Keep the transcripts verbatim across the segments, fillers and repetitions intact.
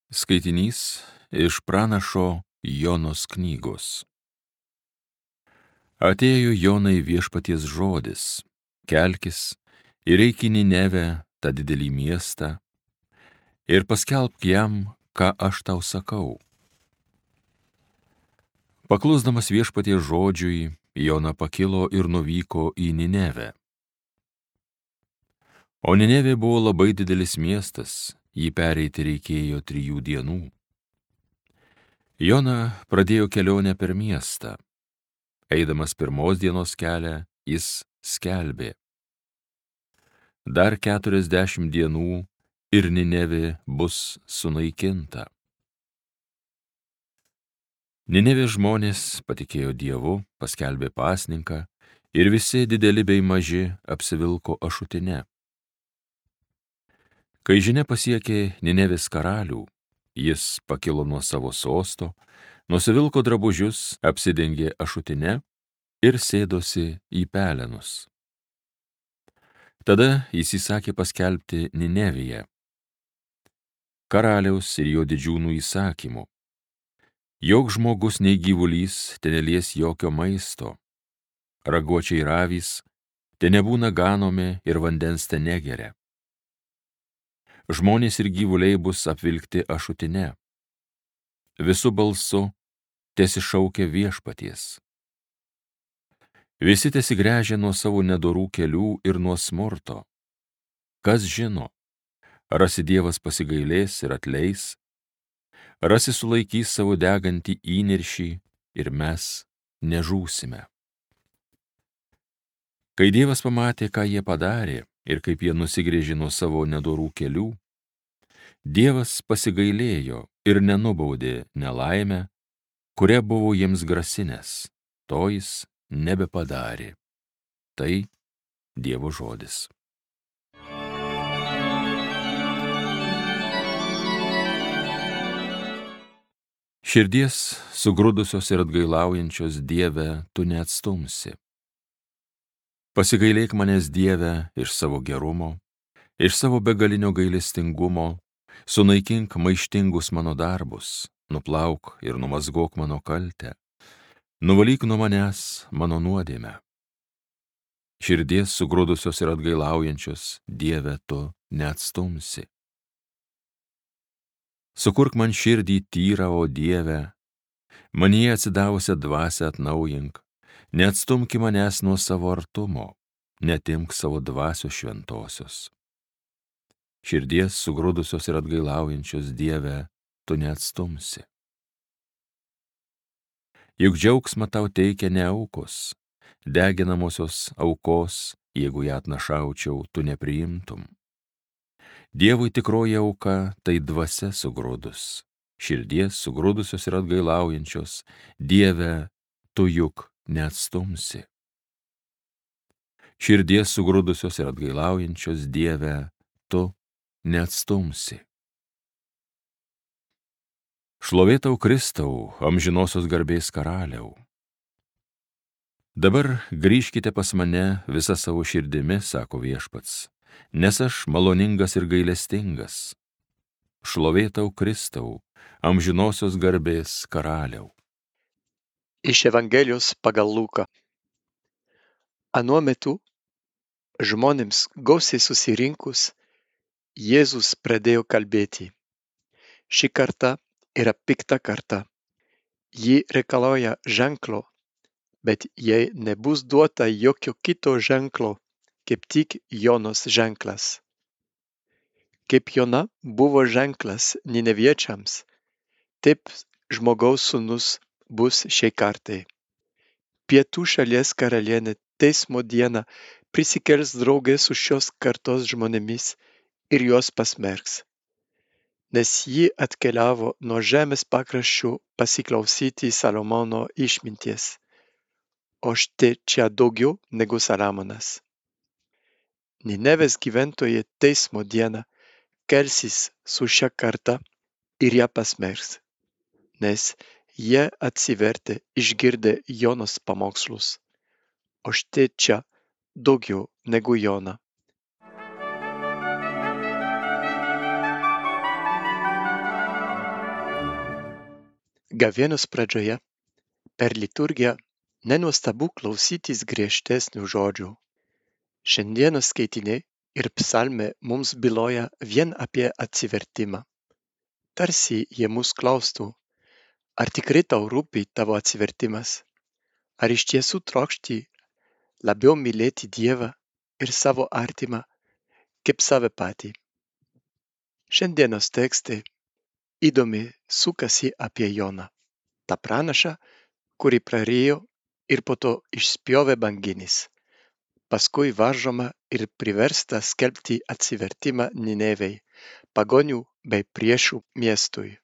Skaitinys iš pranašo Jonos knygos. Atėjo Jonai viešpaties žodis: kelkis ir eik į Ninevę, tą didelį miestą, ir paskelbk jam, ką aš tau sakau. Paklusdamas viešpaties žodžiui, Jona pakilo ir nuvyko į Ninevę. O Ninevė buvo labai didelis miestas, jį pereiti reikėjo trijų dienų. Jona pradėjo kelionę per miestą. Eidamas pirmos dienos kelią, jis skelbė: dar keturiasdešimt dienų ir Ninevė bus sunaikinta. Ninevės žmonės patikėjo Dievu, paskelbė pasninką, ir visi dideli bei maži apsivilko ašutine. Kai žinia pasiekė Ninevės karalių, jis pakilo nuo savo sosto, nusivilko drabužius, apsidengė ašutine ir sėdosi į pelenus. Tada jis įsakė paskelbti Ninevėje karaliaus ir jo didžiūnų įsakymu: jog žmogus nei gyvulys tenelies jokio maisto, raguočiai ir avys te nebūna ganomi ir vandens te negeria. Žmonės ir gyvuliai bus apvilkti ašutine. Visų balsu tesišaukia viešpaties. Visi tesigręžia nuo savo nedorų kelių ir nuo smurto. Kas žino, rasi Dievas pasigailės ir atleis, rasi sulaikys savo degantį įniršį ir mes nežūsime. Kai Dievas pamatė, ką jie padarė ir kaip jie nusigręžė nuo savo nedorų kelių, Dievas pasigailėjo ir nenubaudė nelaimę, kuria buvo jiems grasinęs, to jis nebepadarė. Tai Dievo žodis. Širdies sugrūdusios ir atgailaujančios Dieve tu neatstumsi. Pasigailėk manęs, Dieve, iš savo gerumo, iš savo begalinio gailestingumo, sunaikink maištingus mano darbus, nuplauk ir numazgok mano kaltę, nuvalyk nuo manęs mano nuodėmę. Širdies sugrūdusios ir atgailaujančios Dieve tu neatstumsi. Sukurk man širdį tyrą, o Dieve, manyje atsidavusią dvasią atnaujink, neatstumki manęs nuo savo artumo, netimk savo dvasios šventosios. Širdies sugrūdusios ir atgailaujančios Dieve tu neatstumsi. Juk džiaugsmą tau teikia ne aukos, deginamosios aukos, jeigu ją atnašaučiau, tu nepriimtum. Dievui tikroji auka tai dvasia sugrūdus, širdies sugrūdusios ir atgailaujančios Dieve tu juk neatstumsi. Širdies sugrūdusios ir atgailaujančios Dieve tu neatstumsi. Šlovė tau, Kristau, amžinosios garbės karaliau. Dabar grįžkite pas mane visa savo širdimi, sako viešpats, nes aš maloningas ir gailestingas. Šlovė tau, Kristau, amžinosios garbės karaliau. Iš Evangelijos pagal Luką. Anuo metu, žmonėms gausiai susirinkus, Jėzus pradėjo kalbėti: ši karta yra pikta karta. Ji reikalauja ženklo, bet jai nebus duota jokio kito ženklo, kaip tik Jonos ženklas. Kaip Jona buvo ženklas nineviečiams, taip žmogaus sūnus bus šiai kartai. Pietų šalies karalienė teismo dieną prisikels drauge su šios kartos žmonėmis ir juos pasmerks, nes ji atkeliavo nuo žemės pakraščių pasiklausyti Salomono išminties, o štai čia daugiau negu Salomonas. Ninevės gyventojai teismo dieną kelsis su šia karta ir ją pasmerks, nes jie atsivertė išgirdę Jonos pamokslus, o štai čia daugiau negu Jona. Gavėnios pradžioje per liturgiją nenuostabu klausytis griežtesnių žodžių. Šiandienos skaitiniai ir psalmė mums byloja vien apie atsivertimą. Tarsi jie mus klaustų, ar tikrai tau rūpi tavo atsivertimas, ar iš tiesų trokšti labiau mylėti Dievą ir savo artimą kaip save patį. Šiandienos tekstai įdomiai sukasi apie Joną, tą pranašą, kurį prarijo ir po to išspjovė banginis, paskui varžoma ir priversta skelbti atsivertimą Ninevei, pagonių bei priešų miestui.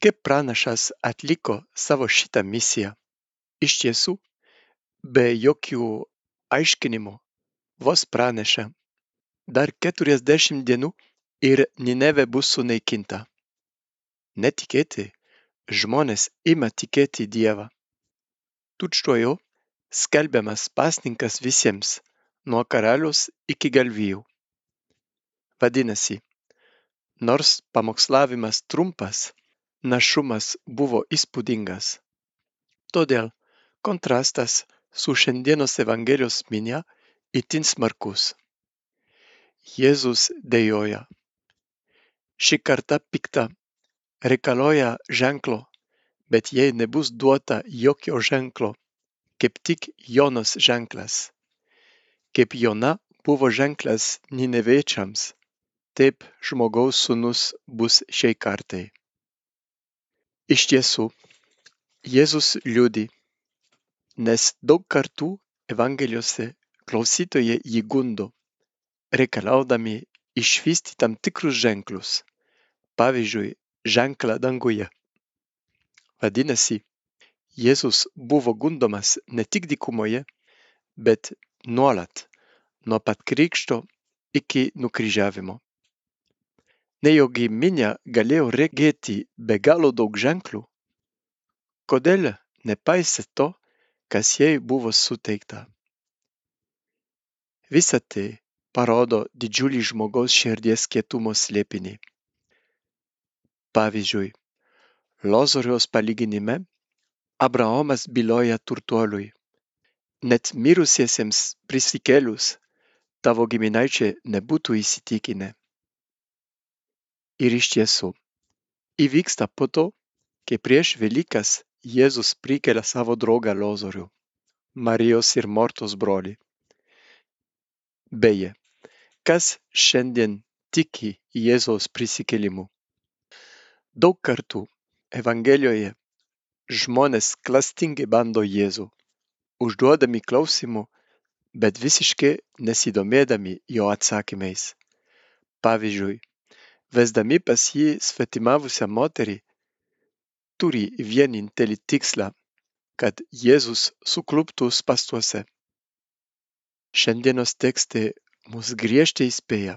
Kaip pranašas atliko savo šitą misiją? Iš tiesų, be jokių aiškinimų, vos pranešė, dar keturiasdešimt dienų ir Ninevė bus sunaikinta. Netikėtai, žmonės ima tikėti Dievą. Tučtuojau skelbiamas pasninkas visiems, nuo karaliaus iki galvijų. Vadinasi, nors pamokslavimas trumpas, našumas buvo įspūdingas. Todėl kontrastas su šiandienos Evangelijos minia itin smarkus. Jėzus dejoja. Ši karta pikta reikalauja ženklo, bet jai nebus duota jokio ženklo, kaip tik Jonos ženklas. Kaip Jona buvo ženklas Nineviečiams, taip žmogaus sūnus bus šiai kartai. Iš tiesų, Jėzus liudi, nes daug kartų Evangelijose klausytojai jį gundo, reikalaudami išvysti tam tikrus ženklus, pavyzdžiui, ženklą danguje. Vadinasi, Jėzus buvo gundomas ne tik dykumoje, bet nuolat, nuo pat krikšto iki nukryžiavimo. Nejaugi minia galėjo regėti be galo daug ženklų? Kodėl nepaisė to, kas jai buvo suteikta? Visa tai parodo didžiulį žmogaus širdies kietumo slėpinį. Pavyzdžiui, Lozoriaus palyginime Abraomas byloja turtuoliui, net mirusiesiems prisikėlus tavo giminaičiai nebūtų įsitikinę. Ir iš tiesų, įvyksta po to, kai prieš Velykas Jėzus prikelia savo draugą Lozorių, Marijos ir Mortos brolį. Beje, kas šiandien tiki Jėzaus prisikėlimu? Daug kartų Evangelijoje žmonės klastingai bando Jėzų, užduodami klausimų, bet visiškai nesidomėdami jo atsakymais. Pavyzdžiui, vesdami pas jį svetimavusią moterį, turi vienintelį tikslą, kad Jėzus sukluptų spąstuose. Šiandienos tekstai mus griežtai įspėja,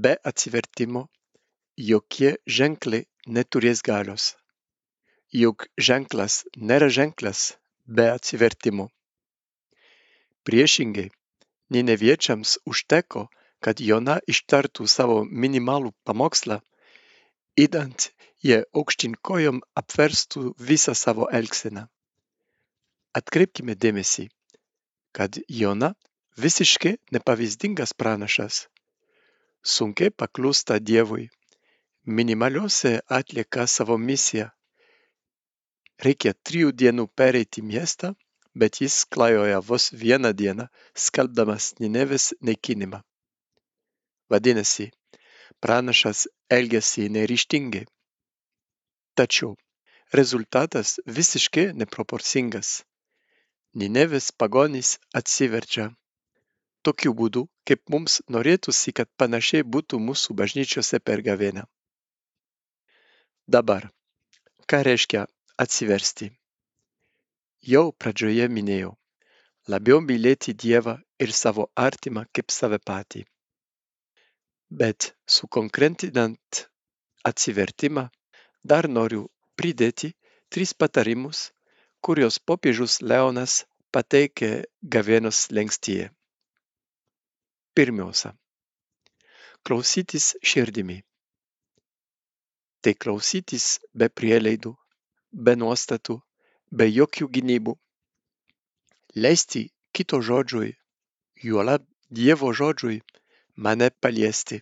be atsivertimo jokie ženklai neturės galios. Juk ženklas nėra ženklas be atsivertimo. Priešingai, Nineviečiams užteko, kad Jona ištartų savo minimalų pamokslą, idant jie aukštyn kojom apverstų visą savo elgseną. Atkreipkime dėmesį, kad Jona visiškai nepavyzdingas pranašas, sunkiai paklūsta Dievui, minimaliausiai atlieka savo misiją. Reikia trijų dienų pereiti miestą, bet jis klajoja vos vieną dieną, skelbdamas Ninevės naikinimą. Vadinasi, pranašas elgiasi neryžtingai. Tačiau rezultatas visiškai neproporcingas. Ninevės pagonys atsiverčia. Tokiu būdu, kaip mums norėtųsi, kad panašiai būtų mūsų bažnyčiose per gavėnią. Dabar, ką reiškia atsiversti? Jau pradžioje minėjau, labiau mylėti Dievą ir savo artimą kaip save patį. Bet sukonkretinant atsivertimą, dar noriu pridėti tris patarimus, kuriuos popiežius Leonas pateikė gavėnios slenkstyje. Pirmiausia, klausytis širdimi. Tai klausytis be prielaidų, be nuostatų, be jokių gynybų. Leisti kito žodžiui, juolab Dievo žodžiui, mane paliesti.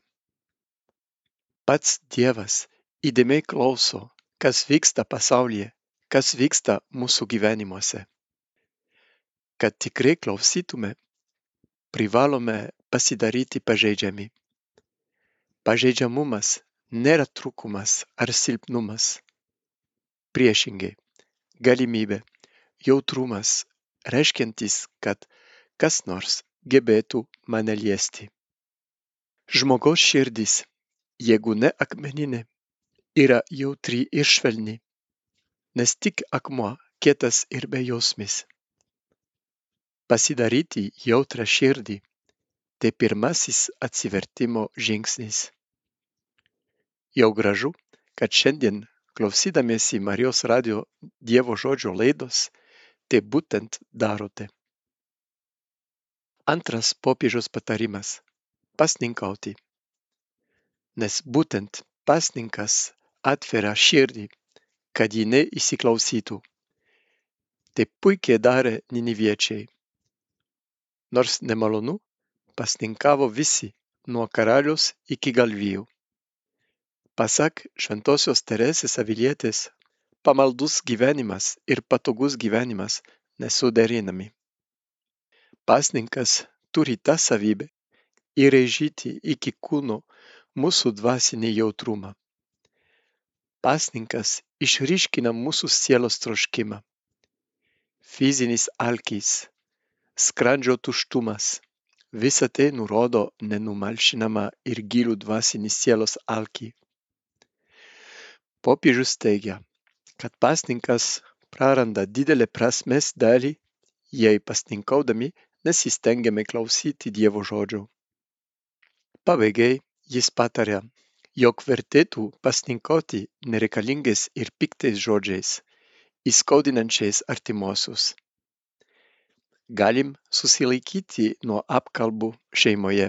Pats Dievas įdėmiai klauso, kas vyksta pasaulyje, kas vyksta mūsų gyvenimuose. Kad tikrai klausytume, privalome pasidaryti pažeidžiami. Pažeidžiamumas nėra trūkumas ar silpnumas. Priešingai, galimybė, jautrumas, reiškiantis, kad kas nors gebėtų mane liesti. Žmogaus širdis, jeigu ne akmeninė, yra jautri ir švelni, nes tik akmuo kietas ir bejausmis. Pasidaryti jautrą širdį – tai pirmasis atsivertimo žingsnis. Jau gražu, kad šiandien, klausydamiesi Marijos radijo Dievo žodžio laidos, tai būtent darote. Antras popiežiaus patarimas – pasninkauti. Nes būtent pasninkas atveria širdį, kad ji neįsiklausytų. Tai puikiai darė niniviečiai. Nors nemalonu, pasninkavo visi, nuo karalius iki galvijų. Pasak šventosios Teresės Avilietės, pamaldus gyvenimas ir patogus gyvenimas nesuderinami. Pasninkas turi tą savybę įrėžyti iki kūno mūsų dvasinį jautrumą. Pasninkas išryškina mūsų sielos troškimą. Fizinis alkis, skrandžio tuštumas, visa tai nurodo nenumalšinamą ir gilų dvasinį sielos alkį. Popiežius teigia, kad pasninkas praranda didelę prasmės dalį, jei pasninkaudami nesistengiame klausyti Dievo žodžio. Pabaigai jis pataria, jog vertėtų pasninkauti nereikalingais ir piktais žodžiais, įskaudinančiais artimuosius. Galim susilaikyti nuo apkalbų šeimoje,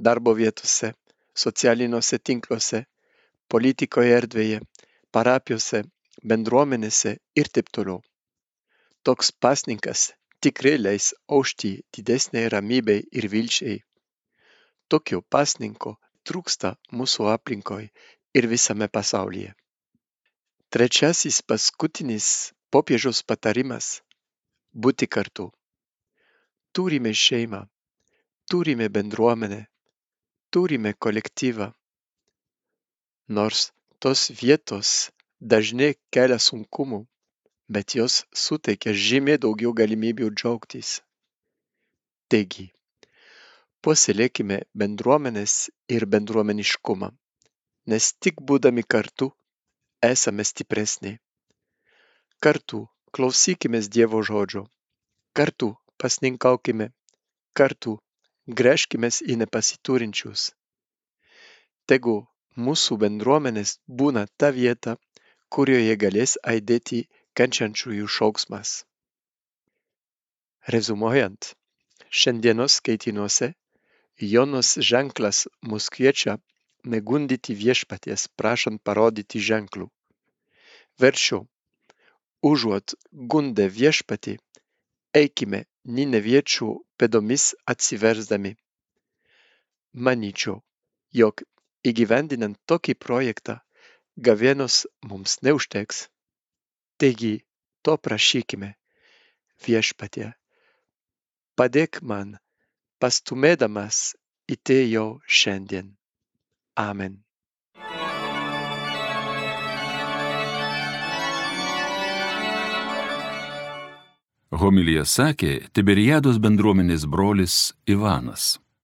darbo vietose, socialiniuose tinkluose, politikoje erdvėje, parapijose, bendruomenėse ir taip toliau. Toks pasninkas tikrai leis aušti didesnei ramybei ir vilčiai. Tokio pasninko trūksta mūsų aplinkoje ir visame pasaulyje. Trečiasis paskutinis popiežiaus patarimas – būti kartu. Turime šeimą, turime bendruomenę, turime kolektyvą. Nors tos vietos dažnai kelia sunkumų, bet jos suteikia žymiai daugiau galimybių džiaugtis. Taigi, puoselėkime bendruomenės ir bendruomeniškumą, nes tik būdami kartu esame stipresni. Kartu klausykimės Dievo žodžio, kartu pasninkaukime, kartu gręžkimės į nepasiturinčius. Tegu mūsų bendruomenės būna ta vieta, kurioje galės aidėti kenčiančiųjų šauksmas. Rezumuojant, šiandienos skaitiniuose Jonos ženklas mus kviečia negundyti viešpaties, prašant parodyti ženklų. Verčiau, užuot gundę viešpatį, eikime nineviečių pėdomis atsiversdami. Manyčiau, jog įgyvendinant tokį projektą, gavėnios mums neužteks. Taigi, to prašykime, viešpatie, padėk man, pastumėdamas į tai jau šiandien. Amen. Homiliją sakė Tiberiados bendruomenės brolis Ivanas.